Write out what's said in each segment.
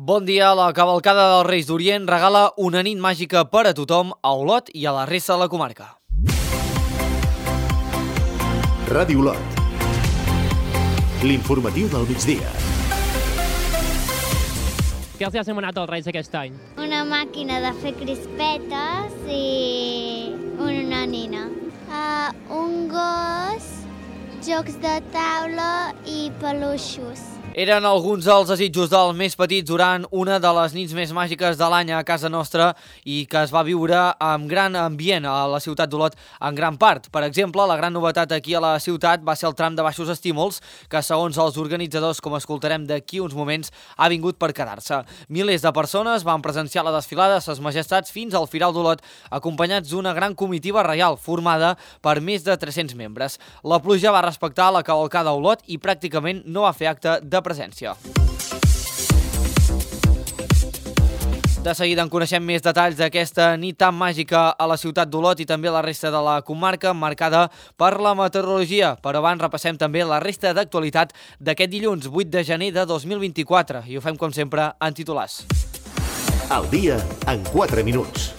Bon dia, la cavalcada dels Reis d'Orient regala una nit màgica per a tothom a Olot i a la resta de la comarca. Ràdio Olot. L'informatiu del migdia. Què els ha demanat als Reis aquest any? Una màquina de fer crispetes i una nina. Un gos, jocs de taula i peluixos. Eren alguns dels desitjos dels més petits durant una de les nits més màgiques de l'any a casa nostra i que es va viure amb gran ambient a la ciutat d'Olot en gran part. Per exemple, la gran novetat aquí a la ciutat va ser el tram de baixos estímuls que, segons els organitzadors, com escoltarem d'aquí uns moments, ha vingut per quedar-se. Milers de persones van presenciar la desfilada de Ses Majestats fins al Firal d'Olot, acompanyats d'una gran comitiva reial formada per més de 300 membres. La pluja va respectar la cavalcada a Olot i pràcticament no va fer acte de presència. De seguida en coneixem més detalls d'aquesta nit tan màgica a la ciutat d'Olot i també a la resta de la comarca, marcada per la meteorologia. Però abans repassem també la resta d'actualitat d'aquest dilluns 8 de gener de 2024 i ho fem com sempre en titulars. El dia en 4 minuts.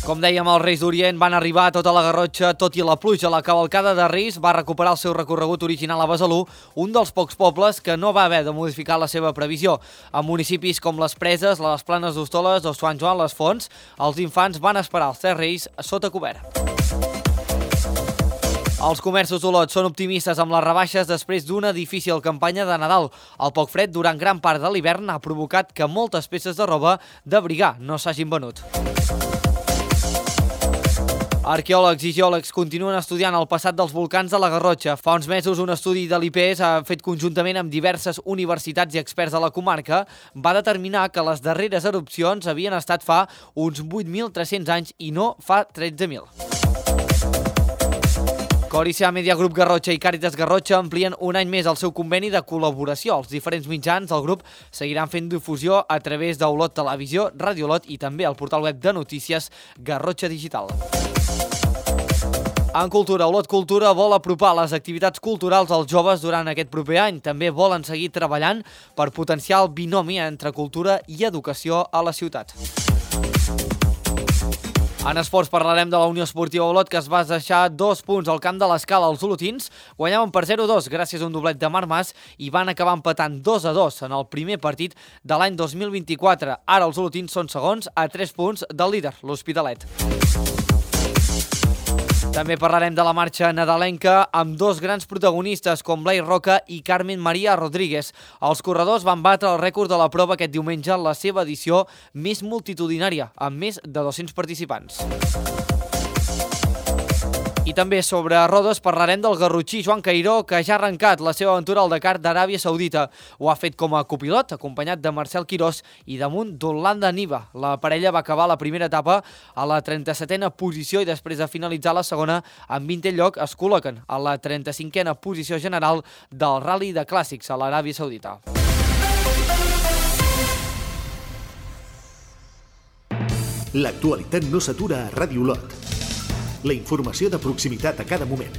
Com dèiem, els Reis d'Orient van arribar a tota la Garrotxa, tot i la pluja. La cavalcada de Reis va recuperar el seu recorregut original a Besalú, un dels pocs pobles que no va haver de modificar la seva previsió. A municipis com les Preses, les Planes d'Hostoles o Sant Joan les Fonts, els infants van esperar els 3 Reis sota cobert. Els comerços d'Olot són optimistes amb les rebaixes després d'una difícil campanya de Nadal. El poc fred durant gran part de l'hivern ha provocat que moltes peces de roba d'abrigar no s'hagin venut. Arqueòlegs i geòlegs continuen estudiant el passat dels volcans de la Garrotxa. Fa uns mesos, un estudi de l'IPES, fet conjuntament amb diverses universitats i experts de la comarca, va determinar que les darreres erupcions havien estat fa uns 8.300 anys i no fa 13.000. Coricia Media Group Garrotxa i Càritas Garrotxa amplien un any més el seu conveni de col·laboració. Els diferents mitjans del grup seguiran fent difusió a través d'Olot Televisió, Ràdio Olot i també el portal web de notícies Garrotxa Digital. En cultura, Olot Cultura vol apropar les activitats culturals als joves durant aquest proper any. També volen seguir treballant per potenciar el binomi entre cultura i educació a la ciutat. En esports parlarem de la Unió Esportiva Olot, que es va deixar 2 punts al camp de l'Escala. Els olotins guanyaven per 0-2 gràcies a un doblet de Marc Mas i van acabar empatant 2-2 en el primer partit de l'any 2024. Ara els olotins són segons a 3 punts del líder, l'Hospitalet. També parlarem de la marxa nadalenca amb 2 grans protagonistes com Blai Roca i Carmen Maria Rodríguez. Els corredors van batre el rècord de la prova aquest diumenge en la seva edició més multitudinària, amb més de 200 participants. I també sobre rodes parlarem del garrotxí Joan Cairó, que ja ha arrencat la seva aventura al Dakar d'Aràbia Saudita. Ho ha fet com a copilot, acompanyat de Marcel Quirós i damunt d'Orlando Niva. La parella va acabar la primera etapa a la 37a posició i després de finalitzar la segona amb 20è lloc es col·loquen a la 35a posició general del Rally de Clàssics a l'Aràbia Saudita. L'actualitat no s'atura a Ràdio Olot. La informació de proximitat a cada moment.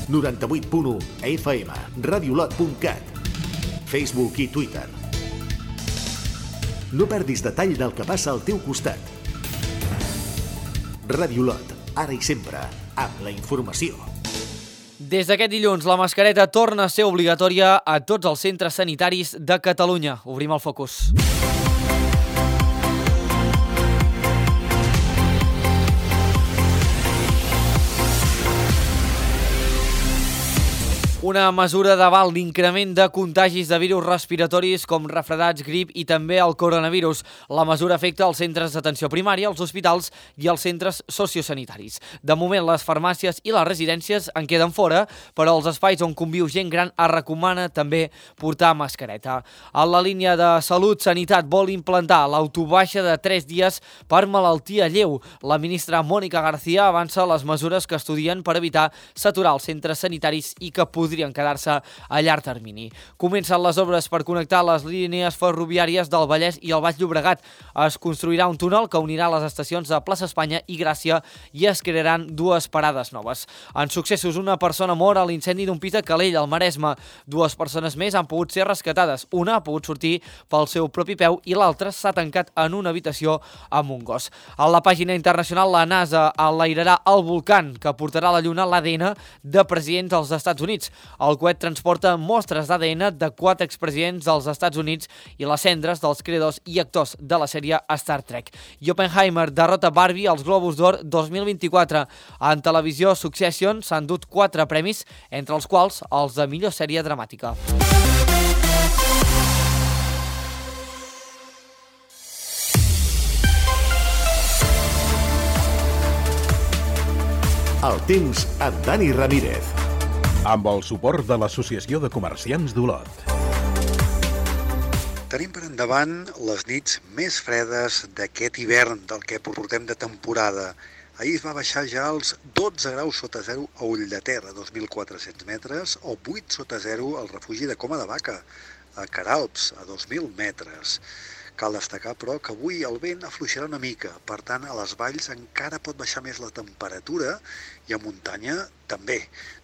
98.1 FM, radiolot.cat, Facebook i Twitter. No perdis detall del que passa al teu costat. Ràdio Olot, ara i sempre, amb la informació. Des d'aquest dilluns, la mascareta torna a ser obligatòria a tots els centres sanitaris de Catalunya. Obrim el focus. Una mesura davant l'increment de contagis de virus respiratoris com refredats, grip i també el coronavirus. La mesura afecta els centres d'atenció primària, els hospitals i els centres sociosanitaris. De moment, les farmàcies i les residències en queden fora, però els espais on conviu gent gran es recomana també portar mascareta. En la línia de Salut, Sanitat vol implantar l'autobaixa de 3 dies per malaltia lleu. La ministra Mònica García avança les mesures que estudien per evitar saturar els centres sanitaris i que podrien podrien quedar-se a llarg termini. Comencen les obres per connectar les línies ferroviàries del Vallès i el Baix Llobregat. Es construirà un túnel que unirà les estacions de Plaça Espanya i Gràcia i es crearan dues parades noves. En successos, una persona mor a l'incendi d'un pis a Calella, al Maresme. Dues persones més han pogut ser rescatades. Una ha pogut sortir pel seu propi peu i l'altra s'ha tancat en una habitació amb un gos. A la pàgina internacional, la NASA enlairarà el Vulcan, que portarà a la Lluna l'ADN de presidents dels Estats Units. El coet transporta mostres d'ADN de 4 expresidents dels Estats Units i les cendres dels creadors i actors de la sèrie Star Trek. I Oppenheimer derrota Barbie als Globus d'Or 2024. En televisió, Succession s'han dut 4 premis, entre els quals els de millor sèrie dramàtica. El temps amb Dani Ramírez. Amb el suport de l'Associació de Comerciants d'Olot. Tenim per endavant les nits més fredes d'aquest hivern del que portem de temporada. Ahir es va baixar ja als 12 graus sota zero a Ulldeterra, 2.400 metres, o 8 sota zero al refugi de Coma de Vaca, a Caralps, a 2.000 metres. Cal destacar, però, que avui el vent afluixarà una mica, per tant, a les valls encara pot baixar més la temperatura i a muntanya també.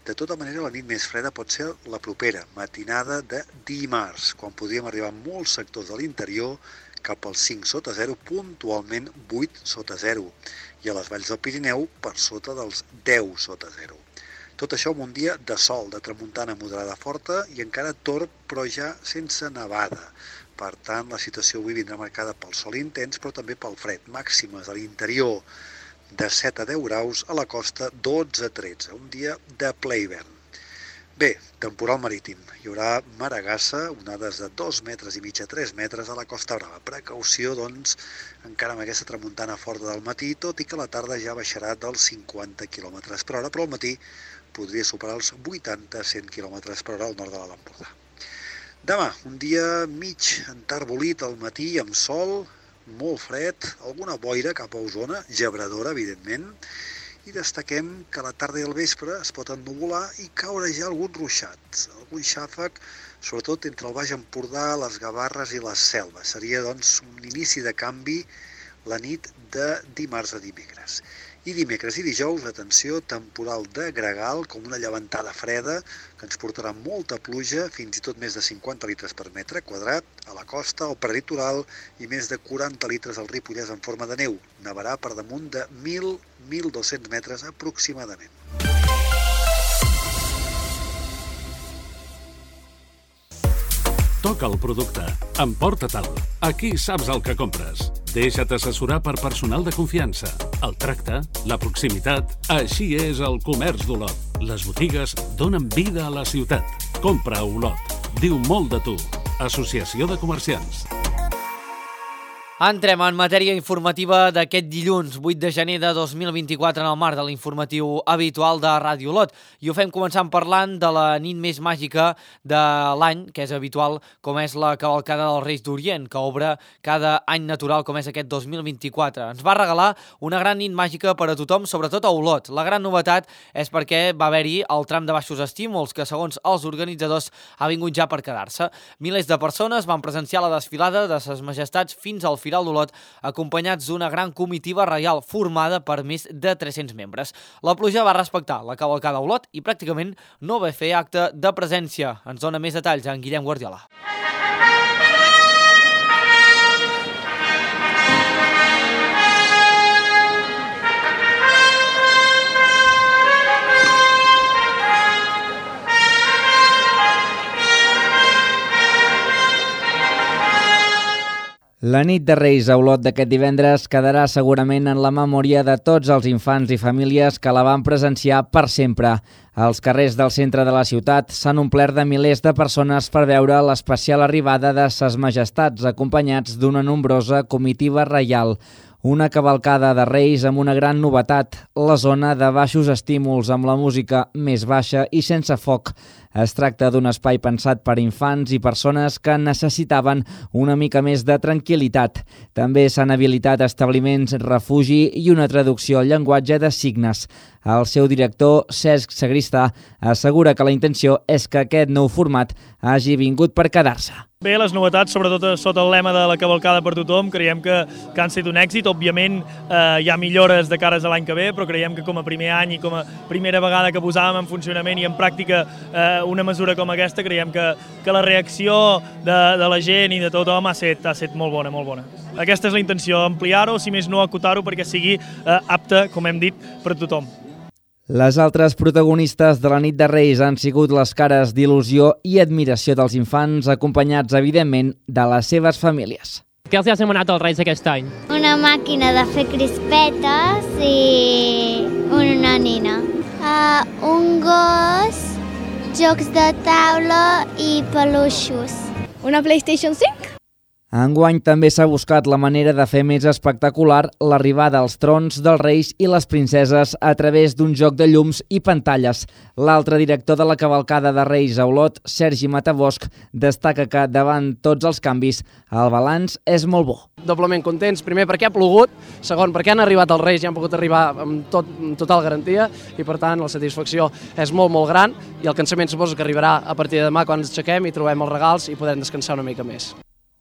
De tota manera, la nit més freda pot ser la propera, matinada de dimarts, quan podríem arribar a molts sectors de l'interior cap als 5 sota 0, puntualment 8 sota 0, i a les valls del Pirineu per sota dels 10 sota 0. Tot això amb un dia de sol, de tramuntana moderada forta i encara torb, però ja sense nevada. Per tant, la situació avui vindrà marcada pel sol intens, però també pel fred. Màximes a l'interior de 7 a 10 graus, a la costa 12 a 13. Un dia de ple hivern. Bé, temporal marítim. Hi haurà maragassa, onades de 2 metres i mig a 3 metres a la Costa Brava. Precaució, doncs, encara amb aquesta tramuntana forta del matí, tot i que la tarda ja baixarà dels 50 km per hora, però al matí podria superar els 80-100 km per hora al nord de l'Empordà. Demà, un dia mig enterbolit al matí amb sol, molt fred, alguna boira cap a Osona, gebradora, evidentment, i destaquem que a la tarda i al vespre es pot ennuvolar i caure ja algun ruixat, algun xàfec, sobretot entre el Baix Empordà, les Gavarres i les Selves. Seria, doncs, un inici de canvi la nit de dimarts a dimecres. I dimecres i dijous, atenció, temporal de gregal, com una llevantada freda, que ens portarà molta pluja, fins i tot més de 50 litres per metre quadrat, a la costa, al prelitoral, i més de 40 litres al Ripollès en forma de neu. Nevarà per damunt de 1.000-1.200 metres aproximadament. Toca el producte. Emporta-te'l. Aquí saps el que compres. Deixa't assessorar per personal de confiança. El tracte, la proximitat... Així és el comerç d'Olot. Les botigues donen vida a la ciutat. Compra a Olot. Diu molt de tu. Associació de Comerciants. Entrem en matèria informativa d'aquest dilluns, 8 de gener de 2024, en el marc de l'informatiu habitual de Ràdio Olot. I ho fem començant parlant de la nit més màgica de l'any, que és habitual, com és la cavalcada dels Reis d'Orient, que obre cada any natural, com és aquest 2024. Ens va regalar una gran nit màgica per a tothom, sobretot a Olot. La gran novetat és perquè va haver-hi el tram de baixos estímuls, que segons els organitzadors ha vingut ja per quedar-se. Milers de persones van presenciar la desfilada de ses majestats fins al Firal d'Olot, acompanyats d'una gran comitiva reial formada per més de 300 membres. La pluja va respectar la cavalcada a Olot i pràcticament no va fer acte de presència. Ens dona més detalls en Guillem Guardiola. La nit de Reis a Olot d'aquest divendres quedarà segurament en la memòria de tots els infants i famílies que la van presenciar per sempre. Els carrers del centre de la ciutat s'han omplert de milers de persones per veure l'especial arribada de ses majestats, acompanyats d'una nombrosa comitiva reial. Una cavalcada de Reis amb una gran novetat, la zona de baixos estímuls amb la música més baixa i sense foc. Es tracta d'un espai pensat per infants i persones que necessitaven una mica més de tranquil·litat. També s'han habilitat establiments refugi i una traducció al llenguatge de signes. El seu director, Cesc Sagristà, assegura que la intenció és que aquest nou format hagi vingut per quedar-se. Bé, les novetats, sobretot sota el lema de la cavalcada per tothom, creiem que han estat un èxit. Òbviament hi ha millores de cares a l'any que ve, però creiem que com a primer any i com a primera vegada que posàvem en funcionament i en pràctica una mesura com aquesta, creiem que la reacció de la gent i de tothom ha estat molt bona, molt bona. Aquesta és la intenció, ampliar-ho, si més no acotar-ho, perquè sigui apte, com hem dit, per tothom. Les altres protagonistes de la nit de Reis han sigut les cares d'il·lusió i admiració dels infants, acompanyats, evidentment, de les seves famílies. Què els ha demanat als Reis aquest any? Una màquina de fer crispetes i una nina. Un gos, jocs de taula i peluixos. Una PlayStation 5? Enguany també s'ha buscat la manera de fer més espectacular l'arribada als trons dels reis i les princeses a través d'un joc de llums i pantalles. L'altre director de la cavalcada de Reis a Olot, Sergi Matabosch, destaca que davant tots els canvis el balanç és molt bo. Doblement contents, primer perquè ha plogut, segon perquè han arribat els Reis i han pogut arribar amb total garantia i per tant la satisfacció és molt gran i el cansament suposo que arribarà a partir de demà quan ens aixequem i trobem els regals i podrem descansar una mica més.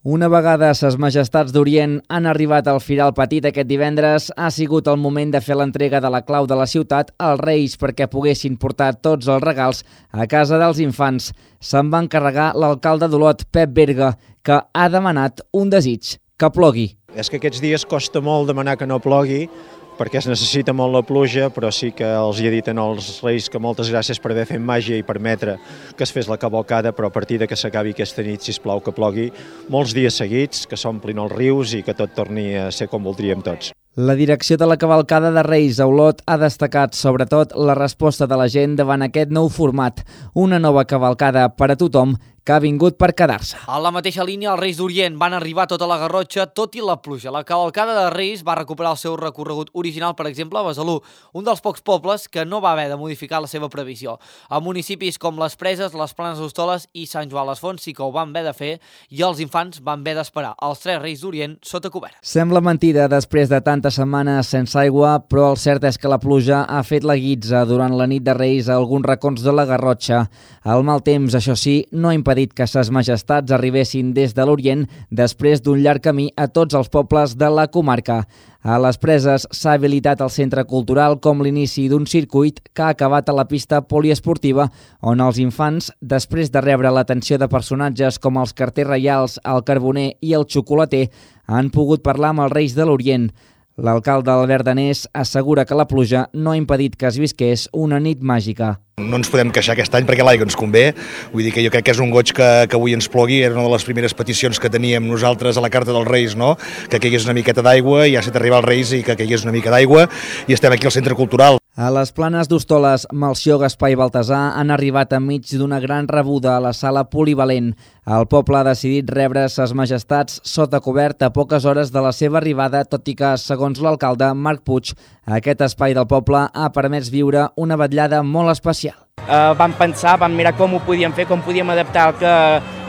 Una vegada ses majestats d'Orient han arribat al Firal Petit aquest divendres, ha sigut el moment de fer l'entrega de la clau de la ciutat als Reis perquè poguessin portar tots els regals a casa dels infants. Se'n va encarregar l'alcalde d'Olot, Pep Berga, que ha demanat un desig, que plogui. És que aquests dies costa molt demanar que no plogui, perquè es necessita molt la pluja, però sí que els hi he dit als Reis que moltes gràcies per haver fet màgia i permetre que es fes la cavalcada, però a partir de que s'acabi aquesta nit, sisplau, que plogui molts dies seguits, que s'omplin els rius i que tot torni a ser com voldríem tots. La direcció de la cavalcada de Reis a Olot ha destacat sobretot la resposta de la gent davant aquest nou format, una nova cavalcada per a tothom que ha vingut per quedar-se. A la mateixa línia, els Reis d'Orient van arribar tota la Garrotxa, tot i la pluja. La cavalcada de Reis va recuperar el seu recorregut original, per exemple, a Besalú, un dels pocs pobles que no va haver de modificar la seva previsió. A municipis com les Preses, les Planes d'Hostoles i Sant Joan les Fonts sí que ho van haver de fer i els infants van haver d'esperar els 3 Reis d'Orient sota cobert. Sembla mentida després de tantes setmanes sense aigua, però el cert és que la pluja ha fet la guitza durant la nit de Reis a alguns racons de la Garrotxa. El mal temps, això sí, no ha impedit que ses majestats arribessin des de l'Orient després d'un llarg camí a tots els pobles de la comarca. A les Preses s'ha habilitat el centre cultural com l'inici d'un circuit que ha acabat a la pista poliesportiva on els infants, després de rebre l'atenció de personatges com els carters reials, el carboner i el xocolater, han pogut parlar amb els Reis de l'Orient. L'alcalde Albert Danés assegura que la pluja no ha impedit que es visqués una nit màgica. No ens podem queixar aquest any perquè l'aigua ens convé, vull dir que jo crec que és un goig que avui ens plogui, era una de les primeres peticions que teníem nosaltres a la carta dels Reis, no? Que caigués una miqueta d'aigua, ja s'ha d'arribar als Reis i que caigués una mica d'aigua i estem aquí al centre cultural. A les Planes d'Hostoles, Melcior, Gaspar i Baltasar han arribat enmig d'una gran rebuda a la sala polivalent. El poble ha decidit rebre ses majestats sota cobert a poques hores de la seva arribada, tot i que, segons l'alcalde Marc Puig, aquest espai del poble ha permès viure una vetllada molt especial. Vam pensar, vam mirar com ho podíem fer, com podíem adaptar el que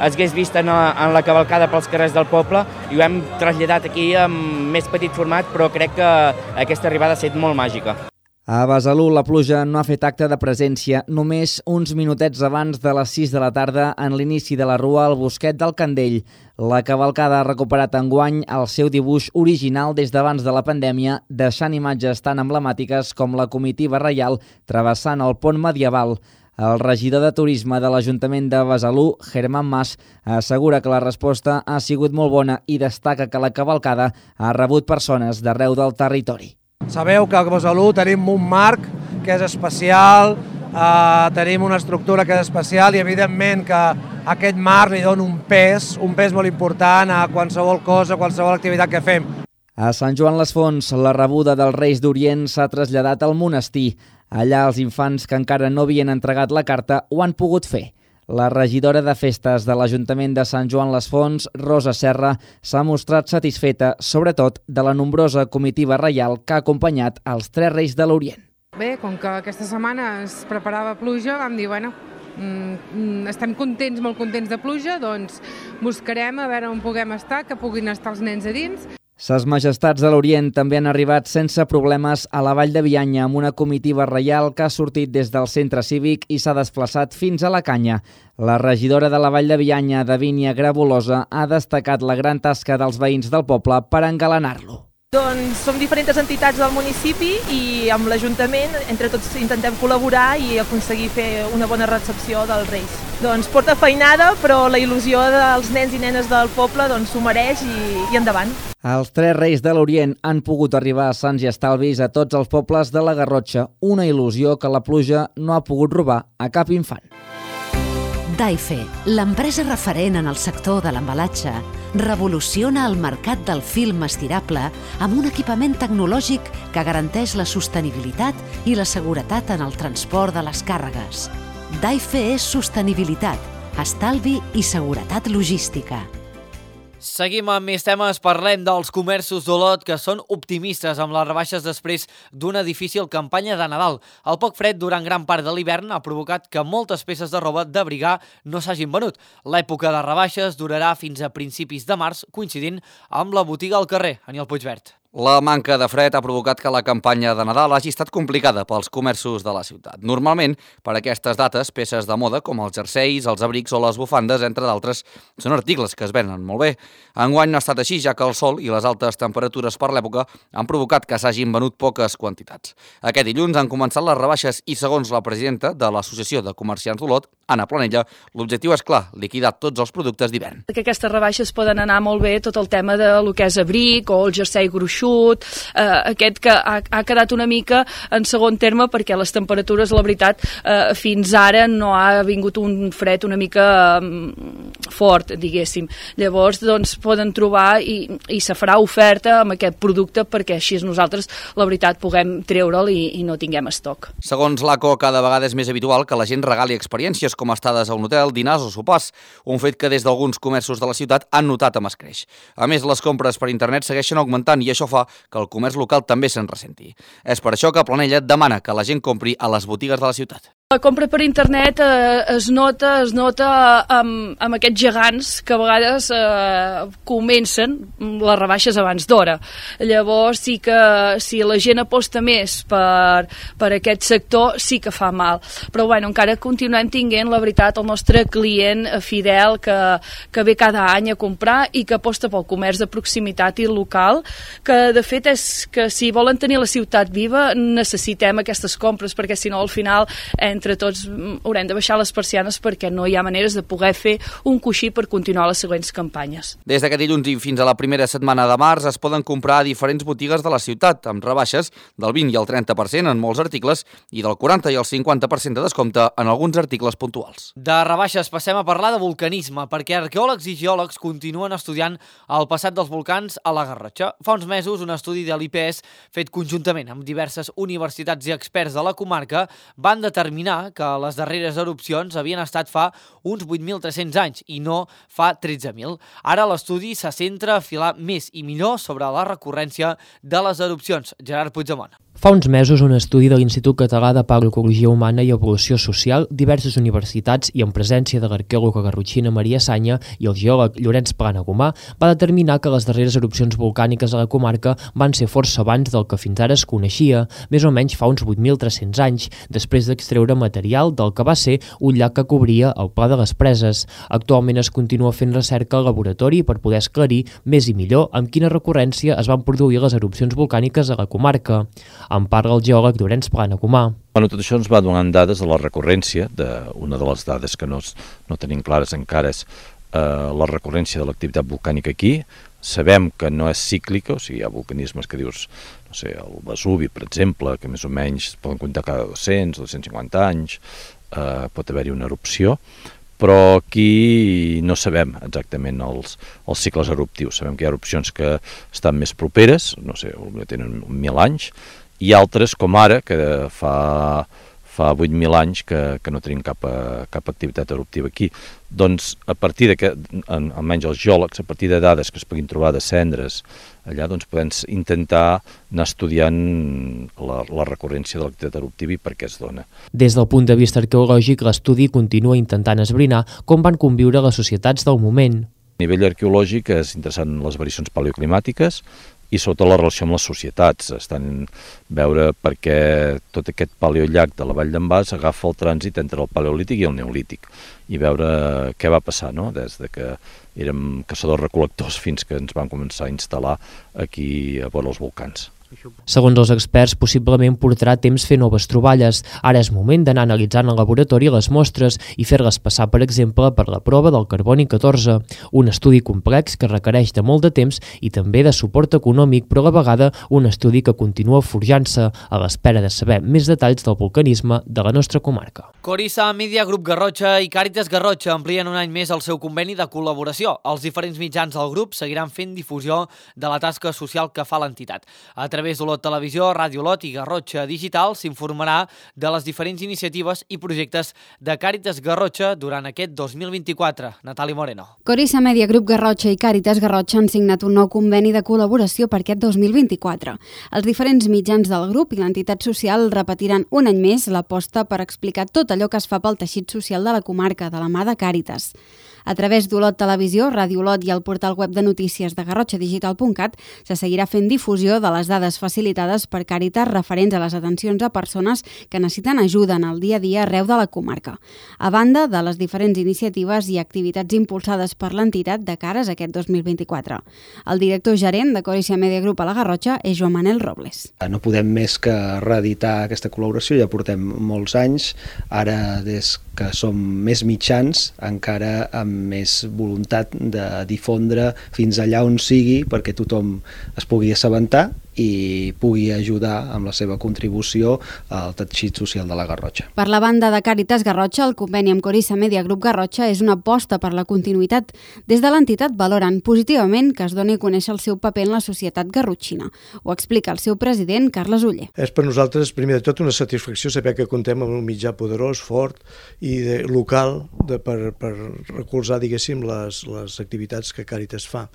es hagués vist en la cavalcada pels carrers del poble i ho hem traslladat aquí en més petit format, però crec que aquesta arribada ha estat molt màgica. A Besalú la pluja no ha fet acte de presència, només uns minutets abans de les 6 de la tarda en l'inici de la rua al Bosquet del Candell. La cavalcada ha recuperat enguany el seu dibuix original des d'abans de la pandèmia, deixant imatges tan emblemàtiques com la comitiva reial travessant el pont medieval. El regidor de Turisme de l'Ajuntament de Besalú, Germán Mas, assegura que la resposta ha sigut molt bona i destaca que la cavalcada ha rebut persones d'arreu del territori. Sabeu que a Besalú tenim un marc que és especial, tenim una estructura que és especial i evidentment que aquest marc li dona un pes molt important a qualsevol cosa, a qualsevol activitat que fem. A Sant Joan les Fonts, la rebuda dels Reis d'Orient s'ha traslladat al monestir. Allà els infants que encara no havien entregat la carta ho han pogut fer. La regidora de Festes de l'Ajuntament de Sant Joan les Fonts, Rosa Serra, s'ha mostrat satisfeta, sobretot, de la nombrosa comitiva reial que ha acompanyat els 3 Reis de l'Orient. Bé, com que aquesta setmana es preparava pluja, vam dir, bueno, estem contents, molt contents de pluja, doncs buscarem a veure on puguem estar, que puguin estar els nens a dins. Ses Majestats de l'Orient també han arribat sense problemes a la Vall de Bianya amb una comitiva reial que ha sortit des del centre cívic i s'ha desplaçat fins a la Canya. La regidora de la Vall de Bianya, Davínia Grabolosa, ha destacat la gran tasca dels veïns del poble per engalanar-lo. Doncs som diferents entitats del municipi i amb l'Ajuntament entre tots intentem col·laborar i aconseguir fer una bona recepció dels Reis. Doncs porta feinada, però la il·lusió dels nens i nenes del poble s'ho mereix i endavant. Els 3 Reis de l'Orient han pogut arribar sants i estalvis a tots els pobles de la Garrotxa, una il·lusió que la pluja no ha pogut robar a cap infant. Daife, l'empresa referent en el sector de l'embalatge, revoluciona el mercat del film estirable amb un equipament tecnològic que garanteix la sostenibilitat i la seguretat en el transport de les càrregues. Daife és sostenibilitat, estalvi i seguretat logística. Seguim amb més temes, parlem dels comerços d'Olot que són optimistes amb les rebaixes després d'una difícil campanya de Nadal. El poc fred durant gran part de l'hivern ha provocat que moltes peces de roba d'abrigar no s'hagin venut. L'època de rebaixes durarà fins a principis de març, coincidint amb la botiga al carrer. Aniel Puigvert. La manca de fred ha provocat que la campanya de Nadal hagi estat complicada pels comerços de la ciutat. Normalment, per aquestes dates, peces de moda com els jerseis, els abrics o les bufandes, entre d'altres, són articles que es venen molt bé. Enguany no ha estat així, ja que el sol i les altes temperatures per l'època han provocat que s'hagin venut poques quantitats. Aquest dilluns han començat les rebaixes i, segons la presidenta de l'Associació de Comerciants d'Olot, Anna Planella, l'objectiu és clar, liquidar tots els productes d'hivern. Que aquestes rebaixes poden anar molt bé tot el tema de lo que és abric o el jersei gruixut, aquest que ha quedat una mica en segon terme perquè les temperatures, la veritat, fins ara no ha vingut un fred una mica fort, diguéssim. Llavors, doncs, poden trobar i se farà oferta amb aquest producte perquè així nosaltres, la veritat, puguem treure'l i no tinguem estoc. Segons l'ACO, cada vegada és més habitual que la gent regali experiències com estades a un hotel, dinars o sopars, un fet que des d'alguns comerços de la ciutat han notat amb escreix. A més, les compres per internet segueixen augmentant i això fa que el comerç local també se'n ressenti. És per això que Planella demana que la gent compri a les botigues de la ciutat. La compra per internet es nota amb aquests gegants que a vegades comencen les rebaixes abans d'hora. Llavors sí que si la gent aposta més per aquest sector sí que fa mal. Però bueno, encara continuem tinguent, la veritat, el nostre client fidel que ve cada any a comprar i que aposta pel comerç de proximitat i local, que de fet és que si volen tenir la ciutat viva necessitem aquestes compres perquè si no al final entre tots haurem de baixar les persianes perquè no hi ha maneres de poder fer un coixí per continuar les següents campanyes. Des d'aquest dilluns i fins a la primera setmana de març es poden comprar a diferents botigues de la ciutat amb rebaixes del 20 i el 30% en molts articles i del 40 i el 50% de descompte en alguns articles puntuals. De rebaixes passem a parlar de vulcanisme perquè arqueòlegs i geòlegs continuen estudiant el passat dels volcans a la Garrotxa. Fa uns mesos un estudi de l'IPS fet conjuntament amb diverses universitats i experts de la comarca van determinar que les darreres erupcions havien estat fa uns 8.300 anys i no fa 13.000. Ara l'estudi se centra a filar més i millor sobre la recurrència de les erupcions. Gerard Puigdemont. Fa uns mesos, un estudi de l'Institut Català de Paleocologia Humana i Evolució Social, diverses universitats i en presència de l'arqueòloga garrotxina Maria Sanya i el geòleg Llorenç Planagumà, va determinar que les darreres erupcions volcàniques a la comarca van ser força abans del que fins ara es coneixia, més o menys fa uns 8.300 anys, després d'extreure material del que va ser un llac que cobria el Pla de les Preses. Actualment es continua fent recerca al laboratori per poder esclarir més i millor amb quina recurrència es van produir les erupcions volcàniques a la comarca. En parla el geòleg Llorenç Planagumà. Tot això ens va donant dades de la recurrència, una de les dades que no tenim clares encara és la recurrència de l'activitat volcànica aquí. Sabem que no és cíclica, o sigui, hi ha vulcanismes que dius, no sé, el Vesuvi, per exemple, que més o menys poden comptar cada 200 o 250 anys, pot haver-hi una erupció, però aquí no sabem exactament els cicles eruptius. Sabem que hi ha erupcions que estan més properes, no sé, tenen 1.000 anys, i altres, com ara, que fa fa 8.000 anys que no tenim cap activitat eruptiva aquí. Doncs a partir que, almenys els geòlegs, a partir de dades que es puguin trobar de cendres, allà doncs podem intentar anar estudiant la recurrència de l'activitat eruptiva i per què es dona. Des del punt de vista arqueològic, l'estudi continua intentant esbrinar com van conviure les societats del moment. A nivell arqueològic és interessant les variacions paleoclimàtiques i sobretot la relació amb les societats. Estan veure perquè tot aquest paleollac de la Vall d'en Bas agafa el trànsit entre el paleolític i el neolític i veure què va passar, no? Des de que érem caçadors-recol·lectors fins que ens van començar a instal·lar aquí a vora els volcans. Segons els experts, possiblement portarà temps fer noves troballes. Ara és moment d'anar analitzant al laboratori les mostres i fer-les passar, per exemple, per la prova del carboni 14, un estudi complex que requereix de molt de temps i també de suport econòmic, però a la vegada un estudi que continua forjant-se a l'espera de saber més detalls del vulcanisme de la nostra comarca. Corissa Media, Grup Garrotxa i Càritas Garrotxa amplien un any més el seu conveni de col·laboració. Els diferents mitjans del grup seguiran fent difusió de la tasca social que fa l'entitat. A través d'Olot Televisió, Ràdio Olot i Garrotxa Digital s'informarà de les diferents iniciatives i projectes de Càritas Garrotxa durant aquest 2024. Natàlia Moreno. Corissa Media, Grup Garrotxa i Càritas Garrotxa han signat un nou conveni de col·laboració per aquest 2024. Els diferents mitjans del grup i l'entitat social repetiran un any més l'aposta per explicar tot allò que es fa pel teixit social de la comarca, de la mà de Càritas. A través d'Olot Televisió, Ràdio Olot i el portal web de notícies de garrotxadigital.cat se seguirà fent difusió de les dades facilitades per Càritas referents a les atencions a persones que necessiten ajuda en el dia a dia arreu de la comarca. A banda de les diferents iniciatives i activitats impulsades per l'entitat de cares a aquest 2024. El director gerent de Corissa Media Group a la Garrotxa és Joan Manel Robles. No podem més que reeditar aquesta col·laboració, ja portem molts anys, ara des que som més mitjans, encara amb més voluntat de difondre fins allà on sigui perquè tothom es pugui assabentar i pugui ajudar amb la seva contribució al teixit social de la Garrotxa. Per la banda de Càritas Garrotxa, el conveni amb Corissa Media Group Garrotxa és una aposta per la continuïtat. Des de l'entitat valoren positivament que es doni a conèixer el seu paper en la societat garrotxina. Ho explica el seu president, Carles Oller. És per nosaltres, primer de tot, una satisfacció saber que contem amb un mitjà poderós, fort i local per recolzar, diguéssim, les activitats que Càritas fa.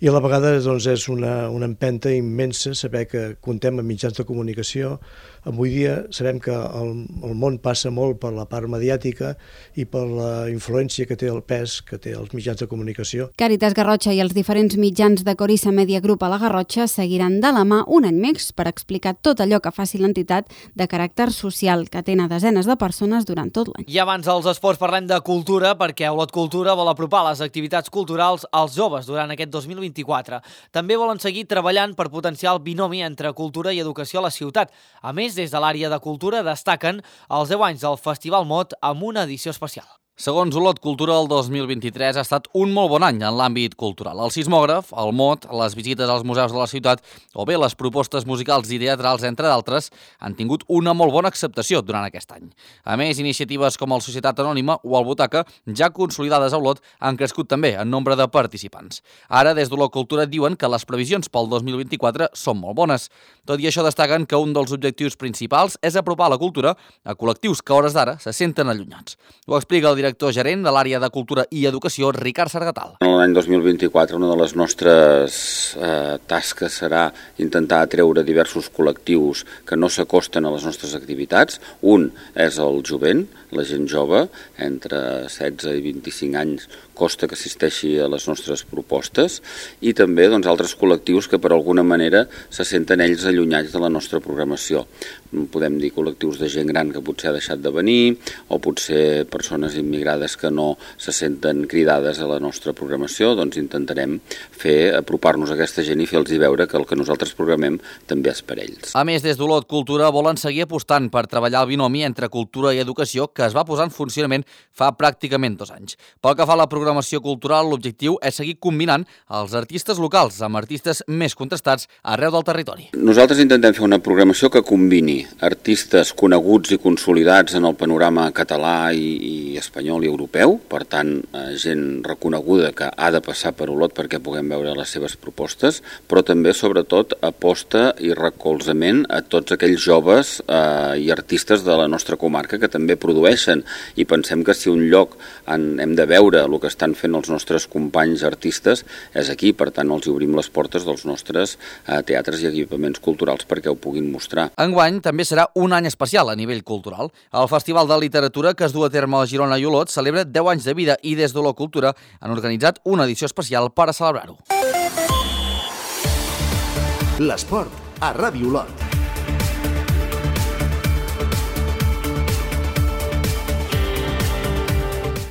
I a la vegada doncs, és una empenta immensa saber que contem amb mitjans de comunicació. Avui dia sabem que el món passa molt per la part mediàtica i per la influència que té el pes que té els mitjans de comunicació. Càritas Garrotxa i els diferents mitjans de Corissa Media Group a la Garrotxa seguiran de la mà un any més per explicar tot allò que faci l'entitat de caràcter social que atén a desenes de persones durant tot l'any. I abans dels esports parlem de cultura, perquè Olot Cultura vol apropar les activitats culturals als joves durant aquest 2024. També volen seguir treballant per potenciar el binomi entre cultura i educació a la ciutat. A més, des de l'àrea de cultura destaquen els 10 anys del Festival Mot amb una edició especial. Segons Olot Cultura, el 2023 ha estat un molt bon any en l'àmbit cultural. El sismògraf, el Mot, les visites als museus de la ciutat o bé les propostes musicals i teatrals, entre d'altres, han tingut una molt bona acceptació durant aquest any. A més, iniciatives com el Societat Anònima o el Butaca, ja consolidades a Olot, han crescut també en nombre de participants. Ara, des d'Olot Cultura, diuen que les previsions pel 2024 són molt bones. Tot i això, destaquen que un dels objectius principals és apropar la cultura a col·lectius que a hores d'ara se senten allunyats. Ho explica el director gerent de l'àrea de Cultura i Educació, Ricard Sargatal. En l'any 2024 una de les nostres tasques serà intentar atreure diversos col·lectius que no s'acosten a les nostres activitats. Un és el jovent, la gent jove, entre 16 i 25 anys, costa que assisteixi a les nostres propostes, i també altres col·lectius que per alguna manera se senten ells allunyats de la nostra programació. Podem dir col·lectius de gent gran que potser ha deixat de venir, o potser persones immigrades que no se senten cridades a la nostra programació. Doncs intentarem apropar-nos a aquesta gent i fer-los veure que el que nosaltres programem també és per ells. A més, des d'Olot Cultura volen seguir apostant per treballar el binomi entre cultura i educació que que es va posar en funcionament fa pràcticament 2 anys. Pel que fa a la programació cultural, l'objectiu és seguir combinant els artistes locals amb artistes més contrastats arreu del territori. Nosaltres intentem fer una programació que combini artistes coneguts i consolidats en el panorama català i espanyol i europeu, per tant, gent reconeguda que ha de passar per Olot perquè puguem veure les seves propostes, però també, sobretot, aposta i recolzament a tots aquells joves i artistes de la nostra comarca que també produeixen, i pensem que si un lloc hem de veure el que estan fent els nostres companys artistes és aquí, per tant els obrim les portes dels nostres teatres i equipaments culturals perquè ho puguin mostrar. Enguany també serà un any especial a nivell cultural. El Festival de Literatura que es du a terme a Girona i Olot celebra 10 anys de vida i des d'Olot Cultura han organitzat una edició especial per a celebrar-ho. L'esport a Ràdio Olot.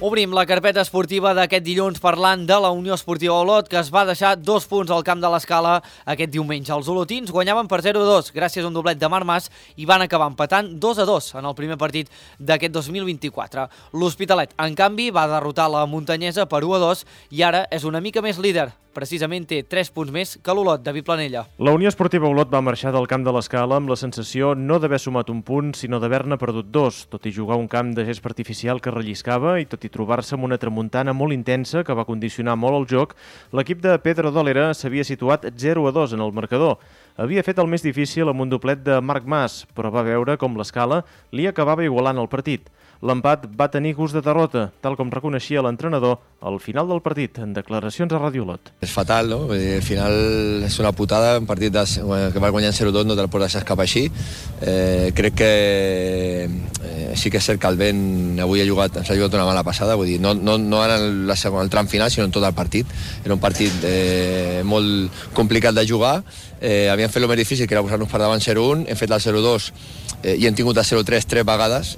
Obrim la carpeta esportiva d'aquest dilluns parlant de la Unió Esportiva Olot, que es va deixar 2 punts al camp de l'Escala aquest diumenge. Els olotins guanyaven per 0-2 gràcies a un doblet de Marc Mas i van acabar empatant 2-2 en el primer partit d'aquest 2024. L'Hospitalet, en canvi, va derrotar la Muntanyesa per 1-2 i ara és una mica més líder. Precisament té 3 punts més que l'Olot, David Planella. La Unió Esportiva Olot va marxar del camp de l'Escala amb la sensació no d'haver sumat un punt, sinó d'haver-ne perdut 2, tot i jugar un camp de gespa artificial que relliscava i tot i trobar-se amb una tramuntana molt intensa que va condicionar molt el joc, l'equip de Pedro Dólera s'havia situat 0-2 en el marcador. Havia fet el més difícil amb un doblet de Marc Mas, però va veure com l'Escala li acabava igualant el partit. L'empat va tenir gust de derrota, tal com reconeixia l'entrenador al final del partit, en declaracions a Ràdio Olot. És fatal, no? Al final és una putada, un partit que va guanyant 0-2 no te'l pots deixar escapar així. Crec que sí que és cert que el vent avui ens ha jugat una mala passada, vull dir, no en el tram final, sinó en tot el partit. Era un partit molt complicat de jugar, havíem fet el més difícil, que era posar-nos per davant 0-1, hem fet el 0-2 i hem tingut el 0-3 3 vegades,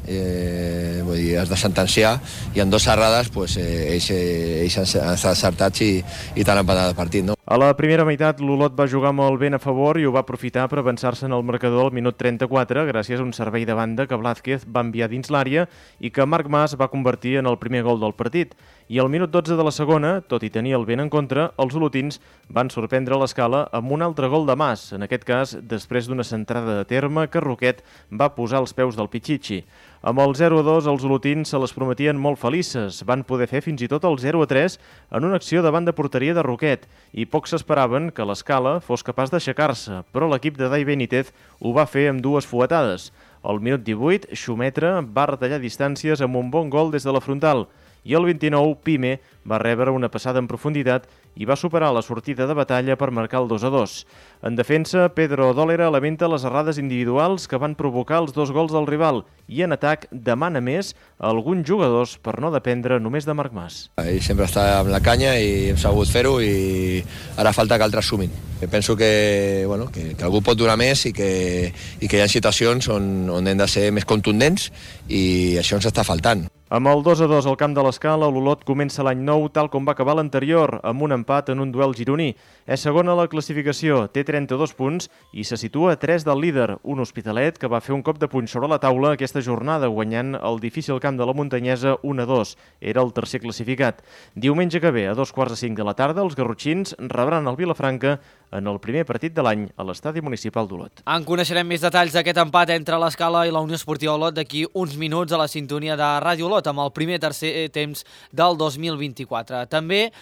vull dir, has de sentenciar, i en 2 errades ells han estat acertats i t'han empatat el partit, no? A la primera meitat, l'Olot va jugar amb el vent a favor i ho va aprofitar per avançar-se en el marcador al minut 34 gràcies a un servei de banda que Blázquez va enviar dins l'àrea i que Marc Mas va convertir en el primer gol del partit. I al minut 12 de la segona, tot i tenir el vent en contra, els olotins van sorprendre l'Escala amb un altre gol de Mas, en aquest cas després d'una centrada de terme que Roquet va posar als peus del Pichichi. Amb el 0-2, els olotins se les prometien molt felices. Van poder fer fins i tot el 0-3 en una acció davant de porteria de Roquet i pocs s'esperaven que l'Escala fos capaç d'aixecar-se, però l'equip de Dai Benítez ho va fer amb 2 fuetades. Al minut 18, Xumetre va retallar distàncies amb un bon gol des de la frontal i al 29, Pime va rebre una passada en profunditat i va superar la sortida de batalla per marcar el 2-2. En defensa, Pedro Dólera lamenta les errades individuals que van provocar els 2 gols del rival i en atac demana més a alguns jugadors per no dependre només de Marc Mas. Ell sempre està amb la canya i hem sabut fer-ho i ara falta que altres sumin. Penso que algú pot donar més i que hi ha situacions on hem de ser més contundents i això ens està faltant. Amb el 2-2 al camp de l'Escala, l'Olot comença l'any nou tal com va acabar l'anterior, amb un empat en un duel gironí. És segona a la classificació, té 32 punts i se situa a 3 del líder, un Hospitalet que va fer un cop de puny sobre la taula aquesta jornada, guanyant el difícil camp de la Muntanyesa 1-2. Era el tercer classificat. Diumenge que ve, a 2:45 de la tarda, els garrotxins rebran el Vilafranca en el primer partit de l'any a l'estadi municipal d'Olot. En coneixerem més detalls d'aquest empat entre l'Escala i la Unió Esportiva Olot d'aquí uns minuts a la sintonia de Ràdio Olot amb el primer tercer temps del 2024. També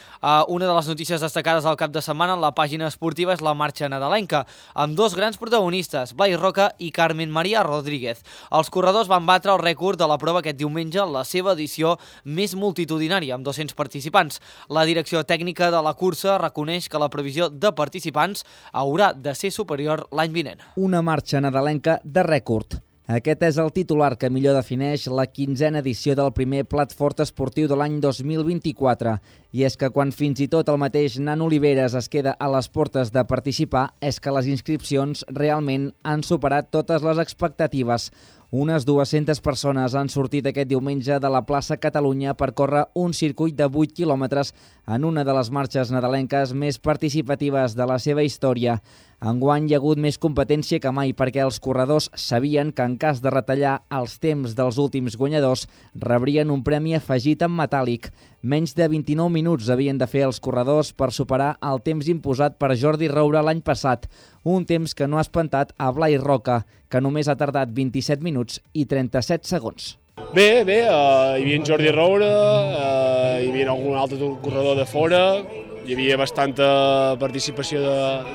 una de les notícies destacades al cap de setmana en la pàgina esportiva és la marxa nadalenca, amb 2 grans protagonistes, Blai Roca i Carmen María Rodríguez. Els corredors van batre el rècord de la prova aquest diumenge, la seva edició més multitudinària, amb 200 participants. La direcció tècnica de la cursa reconeix que la previsió de participants haurà de ser superior l'any vinent. Una marxa nadalenca de rècord. Aquest és el titular que millor defineix la 15a edició del primer plat fort esportiu de l'any 2024. I és que quan fins i tot el mateix Nan Oliveres es queda a les portes de participar, és que les inscripcions realment han superat totes les expectatives. Unes 200 persones han sortit aquest diumenge de la plaça Catalunya per córrer un circuit de 8 quilòmetres en una de les marxes nadalenques més participatives de la seva història. Enguany hi ha hagut més competència que mai perquè els corredors sabien que en cas de retallar els temps dels últims guanyadors rebrien un premi afegit en metàl·lic. Menys de 29 minuts havien de fer els corredors per superar el temps imposat per Jordi Roura l'any passat, un temps que no ha espantat a Blai Roca, que només ha tardat 27 minuts i 37 segons. Bé, hi havia en Jordi Roura, hi havia algun altre corredor de fora, hi havia bastanta participació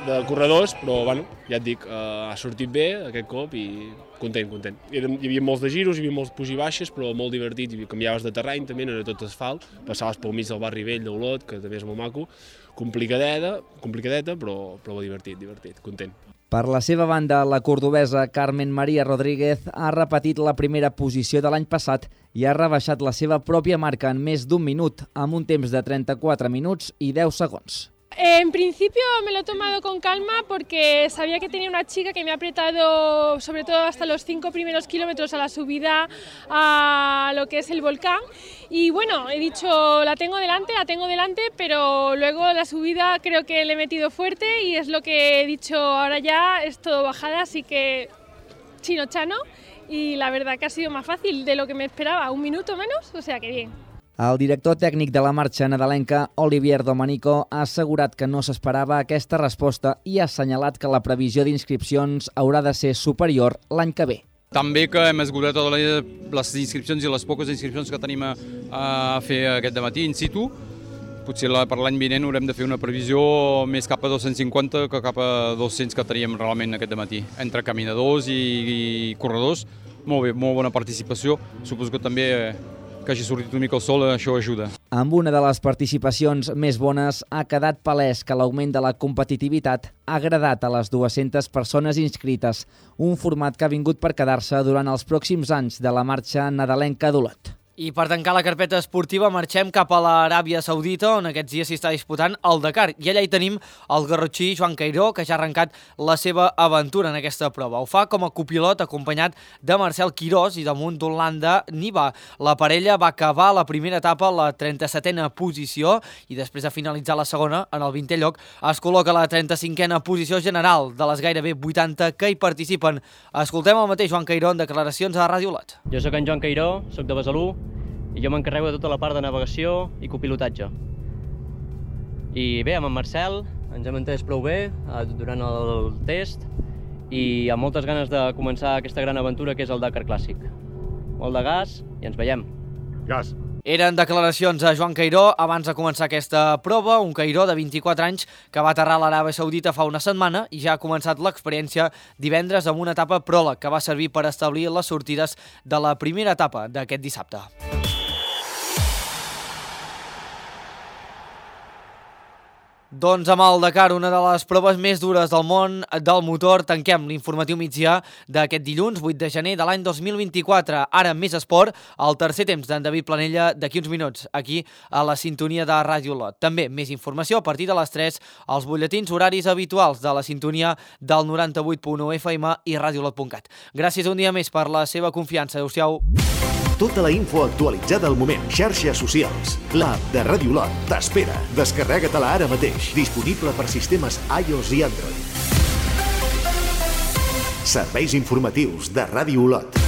de corredors, però bueno, ja et dic, ha sortit bé aquest cop i content. Hi havia molts de giros, hi havia molts puig i baixes, però molt divertit, canviaves de terreny també, no era tot asfalt, passaves pel mig del barri vell d'Olot, que també és molt maco, complicadeta, però divertit, content. Per la seva banda, la cordobesa Carmen María Rodríguez ha repetit la primera posició de l'any passat i ha rebaixat la seva pròpia marca en més d'un minut, amb un temps de 34 minuts i 10 segons. En principio me lo he tomado con calma porque sabía que tenía una chica que me ha apretado sobre todo hasta los 5 primeros kilómetros a la subida a lo que es el volcán y bueno, he dicho la tengo delante, pero luego la subida creo que le he metido fuerte y es lo que he dicho, ahora ya es todo bajada, así que chino-chano y la verdad que ha sido más fácil de lo que me esperaba, un minuto menos, o sea que bien. El director tècnic de la marxa nadalenca, Olivier Domenico, ha assegurat que no s'esperava aquesta resposta i ha assenyalat que la previsió d'inscripcions haurà de ser superior l'any que ve. També que hem esgotat totes les inscripcions i les poques inscripcions que tenim a fer aquest dematí in situ. Potser per l'any vinent haurem de fer una previsió més cap a 250 que cap a 200 que teníem realment aquest dematí. Entre caminadors i corredors, molt bé, molt bona participació. Suposo que també que hagi sortit una mica el sol, això ajuda. Amb una de les participacions més bones ha quedat palès que l'augment de la competitivitat ha agradat a les 200 persones inscrites, un format que ha vingut per quedar-se durant els pròxims anys de la marxa nadalenca d'Olot. I per tancar la carpeta esportiva marxem cap a l'Aràbia Saudita, on aquests dies s'hi està disputant el Dakar. I allà hi tenim el garrotxí Joan Cairó, que ja ha arrencat la seva aventura en aquesta prova. Ho fa com a copilot acompanyat de Marcel Quirós i damunt d'Holanda Niva. La parella va acabar la primera etapa a la 37a posició i després de finalitzar la segona, en el 20è lloc, es col·loca a la 35a posició general de les gairebé 80 que hi participen. Escoltem el mateix Joan Cairó en declaracions a Ràdio Olot. Jo sóc en Joan Cairó, sóc de Besalú, i jo m'encarrego de tota la part de navegació i copilotatge. I bé, amb en Marcel ens hem entès prou bé durant el test i amb moltes ganes de començar aquesta gran aventura que és el Dakar Clàssic. Molt de gas i ens veiem. Gas. Eren declaracions a Joan Cairó abans de començar aquesta prova, un Cairó de 24 anys que va aterrar a l'Aràbia Saudita fa una setmana i ja ha començat l'experiència divendres amb una etapa pròleg que va servir per establir les sortides de la primera etapa d'aquest dissabte. Doncs amb el Dakar, una de les proves més dures del món del motor, tanquem l'informatiu migdia d'aquest dilluns, 8 de gener de l'any 2024. Ara més esport, el tercer temps d'en David Planella d'aquí uns minuts, aquí a la sintonia de Ràdio Olot. També més informació a partir de les 3 als butlletins horaris habituals de la sintonia del 98.1 FM i radiolot.cat. Gràcies un dia més per la seva confiança. Adéu-siau. Tota la info actualitzada al moment. Xarxes socials. L'app de Ràdio Olot t'espera. Descarrega-te-la ara mateix. Disponible per sistemes iOS i Android. Serveis informatius de Ràdio Olot.